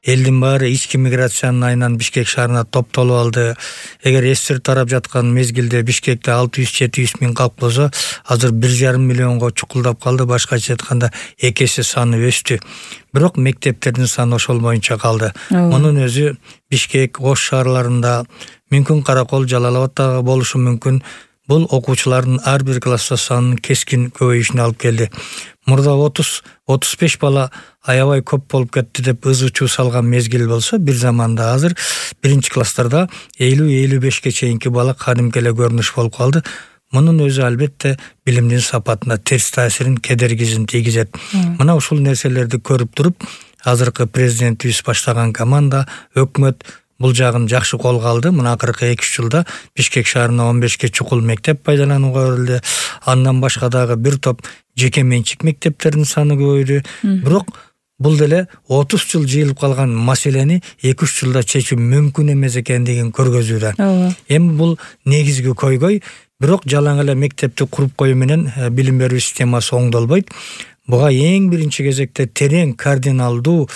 элдин баары ички миграциянын айынан Бишкек шаарына топтолуп алды. Эгер эстир тарап жаткан мезгилде Бишкекте 600-700 миң калк болсо, азыр 1,5 миллионго чукулдап калды. Башкача айтканда 2 эсе саны өстү. Бирок мектептердин саны ошол боюнча калды. Мунун өзү Бишкек, Ош шаарларында, мүмкүн Каракол, Жалал Абадта болушу мүмкүн. Бул окуучулардын ар бир класста санынын кескин көбөйүшүнө алып келди. Мурда 30-35 бала аябай көп болуп кетти деп ызы-чуу салган мезгил болсо, бир заманда азыр биринчи класстарда 50-55ке чейинки бала кадимки эле көрүнүш болуп калды. Мунун өзү албетте билимдин сапатына терс таасирин, кедергисин тийгизет. Мына ушул нерселерди көрүп туруп, азыркы президентибиз баштаган команда, өкмөт бул жагын жакшы колго алды. Мына акыркы 2-3 жылда Бишкек шаарына 15ке чукул мектеп пайдаланууга берилди. Андан башка дагы бир топ жеке менчик мектептердин саны көбөйдү. Бирок бул деле 30 жыл жыйылып калган маселени 2-3 жылда чечүү мүмкүн эмес экендигин көргөзүүдө. Эми бул негизги көйгөй, бирок жалаң эле мектепти куруп коюу менен билим берүү системасы оңдолбойт. Буга эң биринчи кезекте терең, кардиналдуу,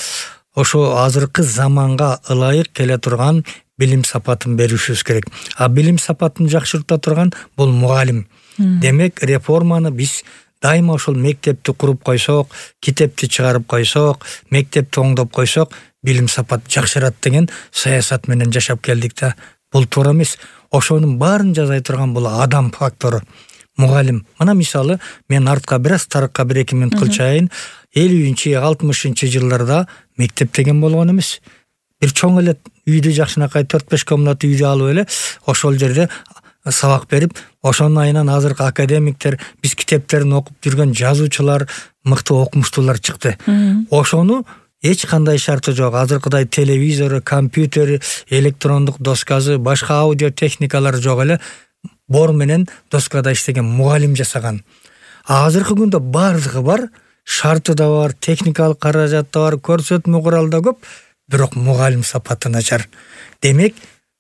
ошо азыркы заманга ылайык келе турган билим сапатын беришибиз керек. А билим сапатын жакшырта турган бул мугалим. Демек, реформаны биз дайыма ошол мектепти куруп койсок, китепти чыгарып койсок, мектепти оңдоп койсок, билим сапат жакшырат деген саясат менен жашап келдик да. Бул туура эмес. Ошонун баарын жазай турган бул адам фактору. Мугалим. Мына мисалы, мен артка бир аз тарыкка 1-2 мүнөт кылчайын. 50-60 жылдарда мектеп деген болгон эмес. Бир чоң эле үйдү жакшынакай 4-5 комната үйдү алып эле ошол жерде сабак берип, ошонун айынан азыркы академиктер, биз китептерин окуп жүргөн жазуучулар, мыкты окумуштуулар чыкты. Ошону эч кандай шарты жок. Азыркыдай телевизору, компьютери, электрондук доскасы, башка аудио техникалар жок эле бор менен доскада иштеген мугалим жасаган. Азыркы күндө бардыгы бар, шарты да бар, техникалык каражат да бар, көрсөтмө курал да көп, бирок мугалим сапаты начар. Демек,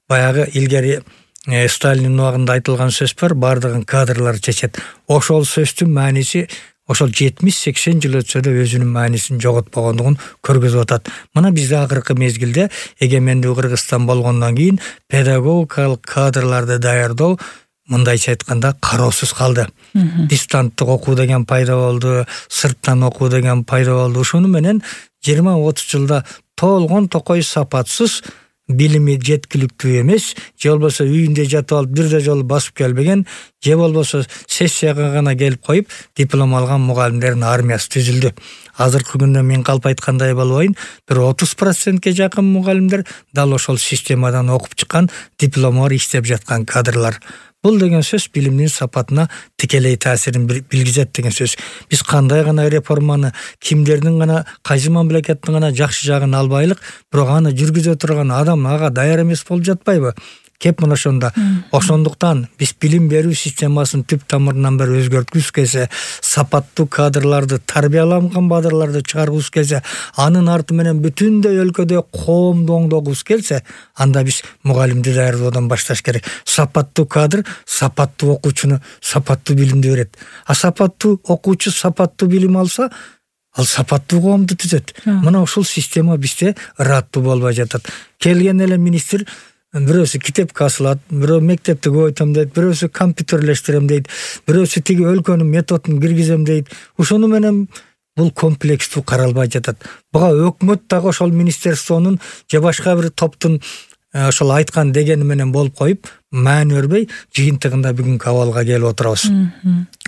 баягы илгери Сталиндин убагында айтылган сөз бар, бардыгын кадрлар чечет. Ошол сөздүн мааниси ошол 70-80 жыл өтсө да өзүнүн маанисин жоготпогондугун көргөзүп атат. Мына бизде акыркы мезгилде эгемендүү Кыргызстан болгондон кийин педагогикалык кадрларды даярдоо мындайча айтканда кароосуз калды. Дистанттык окуу деген пайда болду, сырттан окуу деген пайда болду. Ошону менен 20-30 жылда толгон токой сапатсыз, билими жеткиликтүү эмес, же болбосо үйүндө жатып алып бирде жолу басып келбеген, же болбосо сессияга гана келип коюп диплом алган мугалимдердин армиясы түзүлдү. Азыркы күндө мен калп айткандай болбойн, бир 30%ке жакын мугалимдер дал ошол системадан окуп чыккан, диплому бар иштеп жаткан кадрлар. Бул деген сөз билимдин сапатына тикелей таасирин билгизет деген сөз. Биз кандай гана реформаны, кимдердин гана, кайсы мамлекеттин гана жакшы жагын албайлык, бирок аны жүргүзө турган адам ага даяр эмес болуп жатпайбы? Кеп мына ошондо. Ошондуктан биз билим берүү системасын түп тамырынан бери өзгөрткүбүз келсе, сапаттуу кадрларды, тарбияланган кадрларды чыгаргыбыз келсе, анын арты менен бүтүндөй өлкөдө коомду оңдогубуз келсе, анда биз мугалимди даярдоодон башташ керек. Сапаттуу кадр сапаттуу окуучуну сапаттуу билимди берет. А сапаттуу окуучу сапаттуу билим алса, ал сапаттуу коомду түзөт. Мына ушул система бизде ыраттуу болбой жатат. Келген эле министр бирөөсү китепке асылат, бирөө мектепти көбөйтөм дейт, бирөөсү компьютерлештирем дейт, бирөөсү тиги өлкөнүн методун киргизем дейт. Ошону менен бул комплекстүү каралбай жатат. Буга өкмөт дагы ошол министерствонун же башка бир топтун ошол айткан дегени менен болуп коюп, маани бербей, жыйынтыгында бүгүнкү абалга келип отурабыз.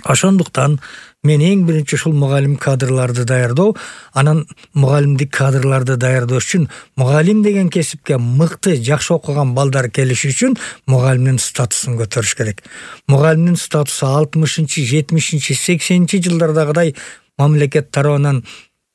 Ошондуктан мен эң биринчи ушул мугалим кадрларды даярдоо, анан мугалимдик кадрларды даярдоо үчүн мугалим деген кесипке мыкты, жакшы окуган балдар келиши үчүн мугалимдин статусун көтөрүш керек. Мугалимдин статусу 60-чы, 70-чи, 80-чи жылдардагыдай мамлекет тарабынан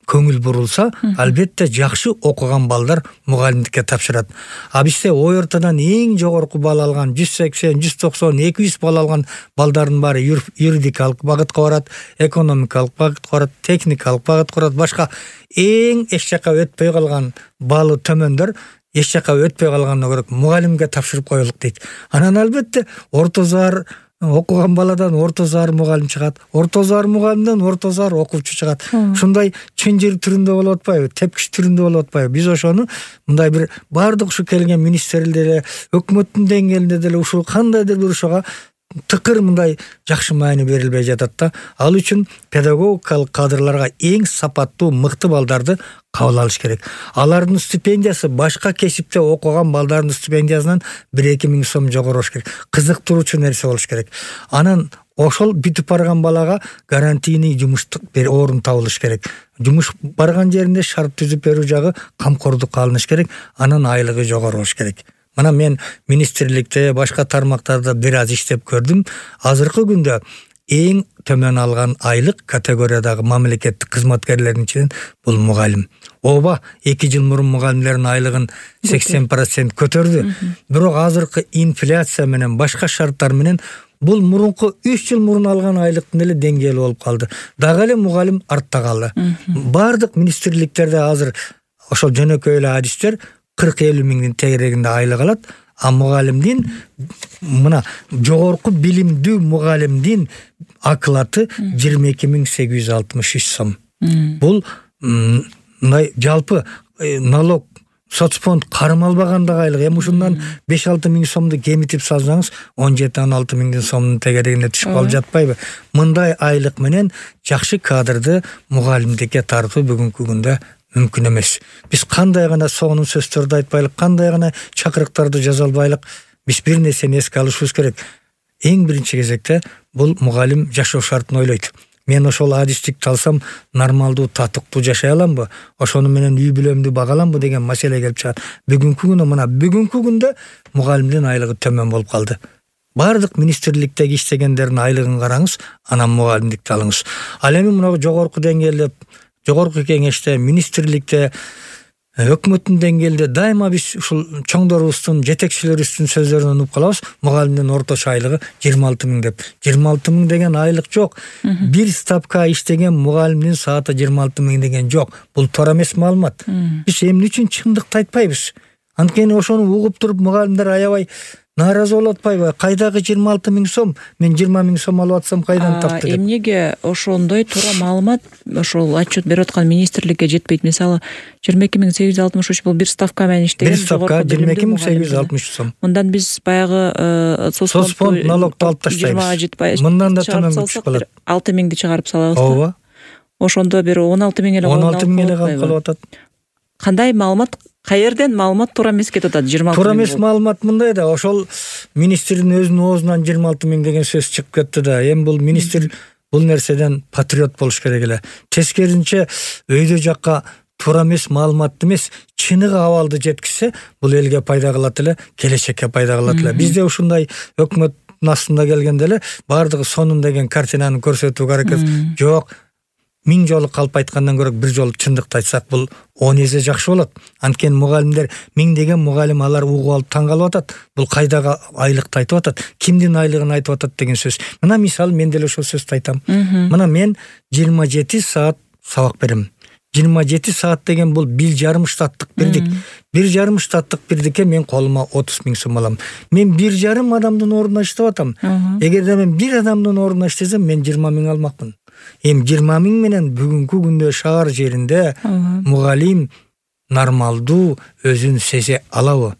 көңүл бурулса, албетте жакшы окуган балдар мугалимдикке тапшырат. А бизде ой ортодон эң жогорку бал алган 180, 190, 200 бал алган балдардын баары юридикалык багытка барат, экономикалык багытка барат, техникалык багытка барат, башка эң эч жака өтпөй калган балы төмөндөр эч жака өтпөй калгандан көрө мугалимге тапшырып коелук дейт. Анан албетте орто заар окуган баладан орто заар мугалим чыгат, орто заар мугалимден орто заар окуучу чыгат. Ушундай чынжыр түрүндө болуп атпайбы, тепкич түрүндө болуп атпайбы? Биз ошону мындай бир баардык ушу келген министрлер деле, өкмөттүн деңгээлинде деле ушул кандайдыр бир ошого тыкыр мындай жакшы маани берилбей жатат да. Ал үчүн педагогикалык кадрларга эң сапаттуу мыкты балдарды кабыл алыш керек. Алардын стипендиясы башка кесипте окуган балдардын стипендиясынан 1-2 миң сом жогору болуш керек. Кызыктыруучу нерсе болуш керек. Анан ошол бүтүп барган балага гарантийный жумуштук орун табылыш керек. Жумуш барган жеринде шарт түзүп берүү жагы камкордукка алыныш керек. Анан айлыгы жогору болуш керек. Мына мен министрликте, башка тармактарда бир аз иштеп көрдүм. Азыркы күндө эң төмөн алган айлык категориядагы мамлекеттик кызматкерлердин ичинен бул мугалим. Ооба, 2 жыл мурун мугалимдердин айлыгын 80% көтөрдү. Бирок азыркы инфляция менен башка шарттар менен бул мурунку 3 жыл мурун алган айлыктын эле деңгээли болуп калды. Дагы эле мугалим артта калды. Бардык министрликтерде азыр ошол жөнөкөй эле адистер 40-50 миңдин тегерегинде айлык алат. А мугалимдин мына жогорку билимдүү мугалимдин акылаты 22.863 сом. Бул мындай жалпы налог соцфонд кармалбагандагы айлык. Эми ушундан 5-6 миң сомду кемитип салсаңыз 17-16 миңдин сомдун тегерегине түшүп калып жатпайбы? Мындай айлык менен жакшы кадрды мугалимдикке тартуу бүгүнкү күндө мүмкүн эмес. Биз кандай гана сонун сөздөрдү айтпайлык, кандай гана чакырыктарды жаза албайлык, биз бир нерсени эске алышыбыз керек. Эң биринчи кезекте бул мугалим жашоо шартын ойлойт. Мен ошол адистикти алсам нормалдуу, татыктуу жашай аламбы? Ошону менен үй бүлөмдү бага аламбы деген маселе келип чыгат. Бүгүнкү күндө мугалимдин айлыгы төмөн болуп калды. Бардык министрликтеги иштегендердин айлыгын караңыз, анан мугалимдикти алыңыз. Ал эми мына жогорку деңгээлде, жогорку кеңеште, министрликте, өкмөттүн деңгээлинде дайыма биз ушул чоңдорубуздун, жетекчилерибиздин сөздөрүнөн угуп калабыз. Мугалимдин орточо айлыгы 26 миң деп. 26 миң деген айлык жок. Бир ставка иштеген мугалимдин сааты 26 миң деген жок. Бул туура эмес маалымат. Биз эмне үчүн чындыкты айтпайбыз? Анткени ошону угуп туруп мугалимдер аябай нааразы болуп атпайбы? Кайдагы 26 миң сом? Мен 20 миң сом алып атсам кайдан тапты деп. Эмнеге ошондой туура маалымат ошол отчет берип аткан министрликке жетпейт? Мисалы 22.863 бул бир ставка менен иштеген. Бир ставка 22.863 сом. Мындан биз баягы соцфонд налогду алып таштайбыз. Мындан да төмөн түшүп калат. 6 миңди чыгарып салабыз. Ооба. Ошондо бир 16 миң эле 16 миң эле калып атат. Кандай маалымат, каерден маалымат туура эмес кетип атат? 26 миң. Туура эмес маалымат мындай да, ошол министрдин өзүнүн оозунан 26 миң деген сөз чыгып кетти да. Эми бул министр бул нерседен патриот болуш керек эле. Тескерисинче өйдө жакка туура эмес маалыматты эмес, чыныгы абалды жеткизсе, бул элге пайда кылат эле, келечекке пайда кылат эле. Бизде ушундай өкмөттүн астында келгенде эле бардыгы сонун деген картинаны көрсөтүүгө аракет жок. 1000 жолу калп айткандан көрө бир жолу чындыкты айтсак, бул 10 эсе жакшы болот. Анткени мугалимдер 1000 деген мугалим алар угуп алып таң калып атат. Бул кайдагы айлыкты айтып атат, кимдин айлыгын айтып атат деген сөз. Мына мисалы мен деле ошол сөздү айтам. Мына мен 27 саат сабак берем. 27 саат деген бул 1,5 штаттык бирдик. 1,5 штаттык бирдикке мен колума 30 миң сом алам. Мен 1,5 адамдын ордуна иштеп атам. Эгерде мен бир адамдын ордуна иштесем, мен 20 миң алмакмын. Эми 20 миң менен бүгүнкү күндө шаар жеринде мугалим нормалдуу өзүн сезе алабы?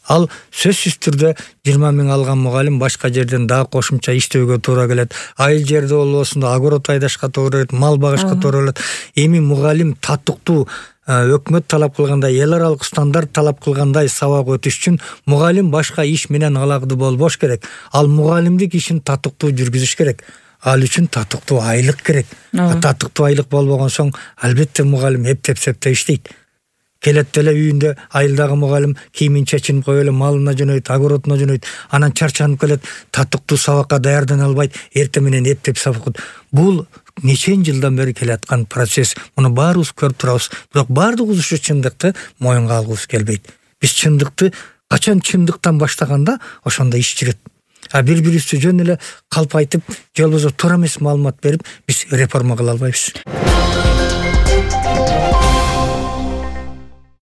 Ал сөзсүз түрдө 20 миң алган мугалим башка жерден дагы кошумча иштөөгө туура келет. Айыл жерде болбосун да огород айдашка туура келет, мал багышка туура келет. Эми мугалим татыктуу өкмөт талап кылгандай, эл аралык стандарт талап кылгандай сабак өтүш үчүн мугалим башка иш менен алакты болбош керек. Ал мугалимдик ишин татыктуу жүргүзүш керек. Ал үчүн татыктуу айлык керек. Татыктуу айлык болбогон соң албетте мугалим эптеп-септеп иштейт. Келет деле үйүндө айылдагы мугалим кийимин чечинип коюп эле малына жөнөйт, огородуна жөнөйт. Анан чарчанып келет, татыктуу сабакка даярдана албайт, эртең менен эптеп сабак. Бул нечен жылдан бери келаткан процесс. Муну баарыбыз көрүп турабыз. Бирок баардыгыбыз ушу чындыкты моюнга алгыбыз келбейт. Биз чындыкты качан чындыктан баштаганда ошондо иш жүрөт. Бири-бирибизди жөн эле калп айтып, же болбосо туура эмес маалымат берип, биз реформа кыла албайбыз.